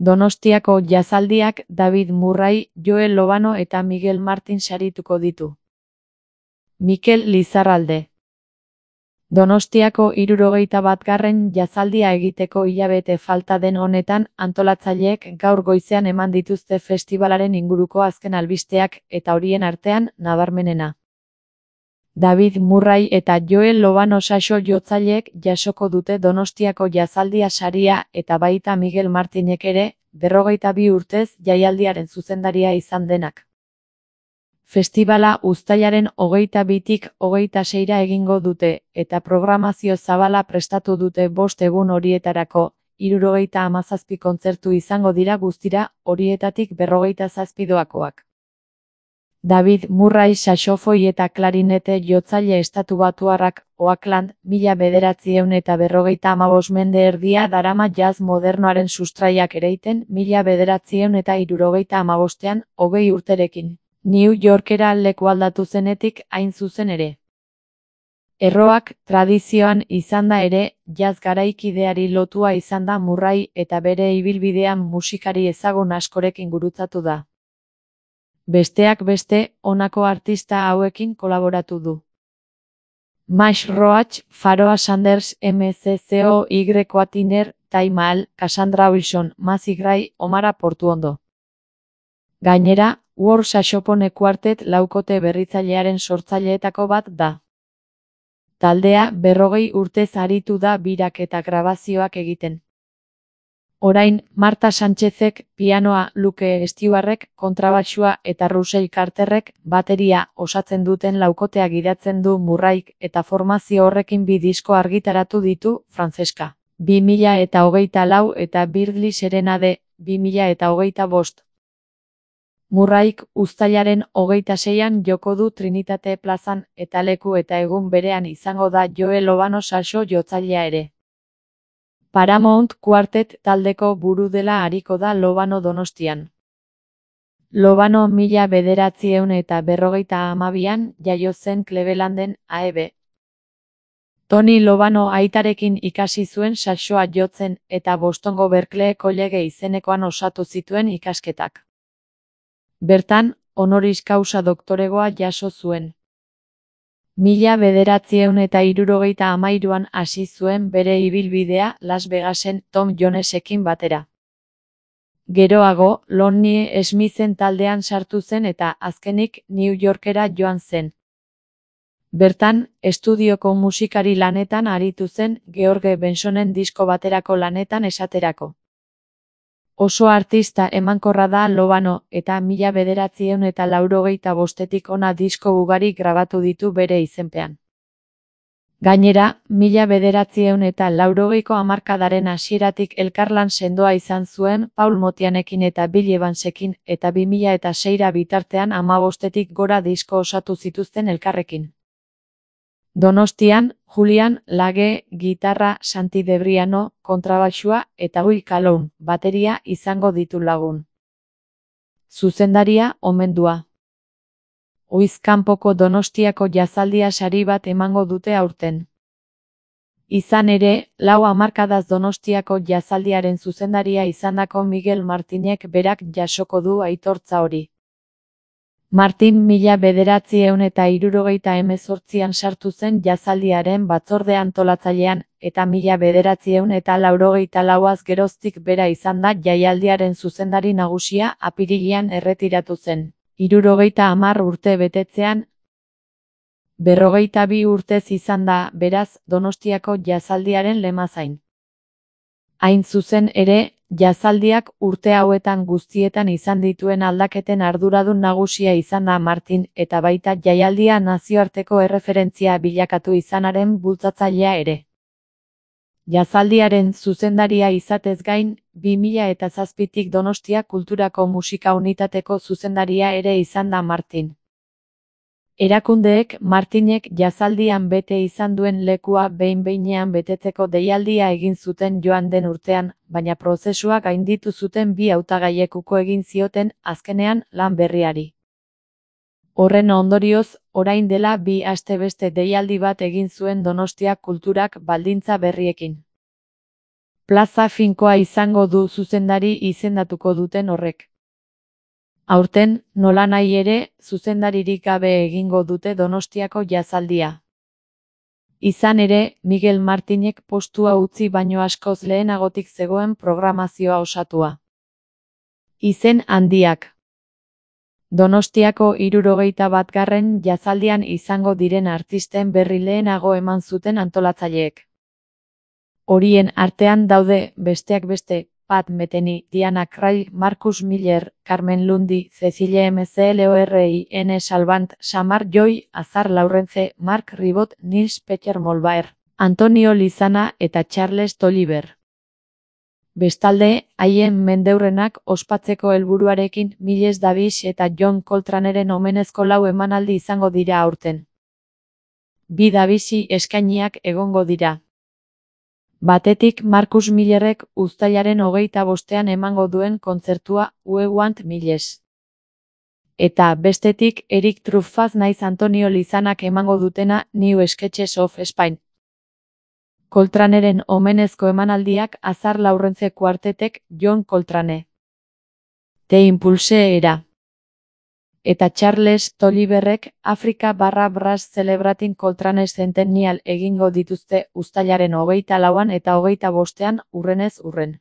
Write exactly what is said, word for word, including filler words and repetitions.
Donostiako jazaldiak David Murray, Joel Lobano eta Miguel Martin sarituko ditu. Mikel Lizarralde. Donostiako hirurogeita batgarren jazaldia egiteko hilabete falta den honetan, antolatzaileek gaur goizean eman dituzte festibalaren inguruko azken albisteak, eta horien artean, nabarmenena. David Murray eta Joel Lobano saxo jotzaileek jasoko dute Donostiako jazaldia saria eta baita Miguel Martinek ere, berrogeita bi urtez jaialdiaren zuzendaria izan denak. Festibala uztailaren hogeita bitik hogeita seira egingo dute, eta programazio zabala prestatu dute bost egun horietarako, hirurogeita hamazazpi kontzertu izango dira guztira, horietatik berrogeita zazpi doakoak. David Murray saxofoi eta klarinete jotzaile estatubatuarrak, Oakland, mila bederatziehun eta berrogeita hamabost mende erdia darama jazz modernoaren sustraiak ereiten, mila bederatziehun eta hirurogeita hamabostean, hogei urterekin. New Yorkera leku aldatu zenetik hain zuzen ere. Erroak tradizioan izanda ere, jazz garaikideari lotua izan da Murray eta bere ibilbidean musikari ezagun askorekin gurutzatu da. Besteak beste, honako artista hauekin kolaboratu du. Max Roach, Pharoah Sanders, M C C O Y Tiner, Ty Maal, Cassandra Wilson, Macy Gray, Omara Portuondo. Gainera, World Saxophone Quartet laukote berritzailearen sortzaileetako bat da. Taldea berrogei urtez aritu da birak eta grabazioak egiten. Orain, Marta Sánchezek, pianoa, Luke Stewartek, kontrabaxua eta Russell Carterrek, bateria, osatzen duten laukotea gidatzen du Murrayk eta formazio horrekin bi disko argitaratu ditu, Francesca, bi mila eta hogeita lau eta Birdly Serenade, bi mila eta hogeita bost. Murrayk uztailaren hogeita seian joko du Trinitate plazan, eta leku eta egun berean izango da Joel Lobano saxo jotzailea ere. Paramount Quartet taldeko buru dela ariko da Lobano Donostian. Lobano mila bederatziehun eta berrogeita hamabian jaio zen Clevelanden, A E B. Tony Lobano aitarekin ikasi zuen saxoa jotzen eta Bostongo Berklee College izenekoan osatu zituen ikasketak. Bertan, honoris causa doktoregoa jaso zuen. Mila bederatziehun eta hirurogeita hamairuan hasi zuen bere ibilbidea Las Vegasen Tom Jonesekin batera. Geroago, Lonnie Smithen taldean sartu zen eta azkenik New Yorkera joan zen. Bertan, estudioko musikari lanetan aritu zen George Bensonen disko baterako lanetan esaterako. Oso artista emankorra da Lobano eta mila bederatziehun eta laurogeita bostetik ona disko ugari grabatu ditu bere izenpean. Gainera, mila bederatziehun eta laurogeiko hamarkadaren hasieratik elkarlan sendoa izan zuen Paul Motianekin eta Bill Evansekin eta bi mila eta seira bitartean hamabostetik gora disko osatu zituzten elkarrekin. Donostian, Julian Lage, gitarra, Santi Debriano, kontrabaxua eta Will Calhoun, bateria izango ditu lagun. Zuzendaria, omendua. Oiz kanpoko Donostiako jazaldia sari bat emango dute aurten. Izan ere, lau hamarkadaz Donostiako jazaldiaren zuzendaria izandako Miguel Martinek berak jasoko du aitortza hori. Martin mila bederatziehun eta hirurogeita hemezortzian sartu zen jazaldiaren batzorde antolatzailean, eta mila bederatziehun eta laurogeita lauaz geroztik bera izan da jaialdiaren zuzendari nagusia apirilean erretiratu zen. Hirurogeita hamar urte betetzean, berrogeita bi urtez izan da, beraz, Donostiako jazaldiaren lemazain. Hain zuzen ere, jazaldiak urte hauetan guztietan izan dituen aldaketen arduradun nagusia izan da Martin eta baita jaialdia nazioarteko erreferentzia bilakatu izanaren bultzatzailea ere. Jazaldiaren zuzendaria izatez gain, bi mila eta zazpitik Donostia Kulturako Musika Unitateko zuzendaria ere izan da Martin. Erakundeek Martinek jazaldian bete izan duen lekua behin-behinean betetzeko deialdia egin zuten joan den urtean, baina prozesua gainditu zuten bi hautagaiek uko egin zioten azkenean lan berriari. Horren ondorioz, orain dela bi aste beste deialdi bat egin zuen Donostia Kulturak baldintza berriekin. plaza finkoa izango du zuzendari izendatuko duten horrek. Aurten, nolanahi ere, zuzendaririk gabe egingo dute Donostiako jazaldia. Izan ere, Miguel Martinek postua utzi baino askoz lehenagotik zegoen programazioa osatua. Izen handiak. Donostiako hirurogeita batgarren jazaldian izango diren artisten berri lehenago eman zuten antolatzaileek. Horien artean daude, besteak beste, Pat Metheny, Diana Krall, Marcus Miller, Carmen Lundy, Cecilie Mclorine Salvant, Samar Joy, Azar Laurence, Mark Ribot, Nils Peter Molbaer, Antonio Lizana eta Charles Tolliver. Bestalde, haien mendeurrenak ospatzeko helburuarekin Miles Davis eta John Coltraneren omenezko lau emanaldi izango dira aurten. Bi Davisi eskainiak egongo dira. Batetik Marcus Millerrek uztailaren hogeita bostean emango duen kontzertua We Want Miles. Eta bestetik Eric Truffaz naiz Antonio Lizanak emango dutena New Sketches of Spain. Coltraneren omenezko emanaldiak Azar Laurence kuartetek John Coltrane. The Impulse era. Eta Charles Tolliverrek Afrika barra Brass Celebrating Coltrane Centennial egingo dituzte uztailaren hogeita lauan eta hogeita bostean urrenez urren.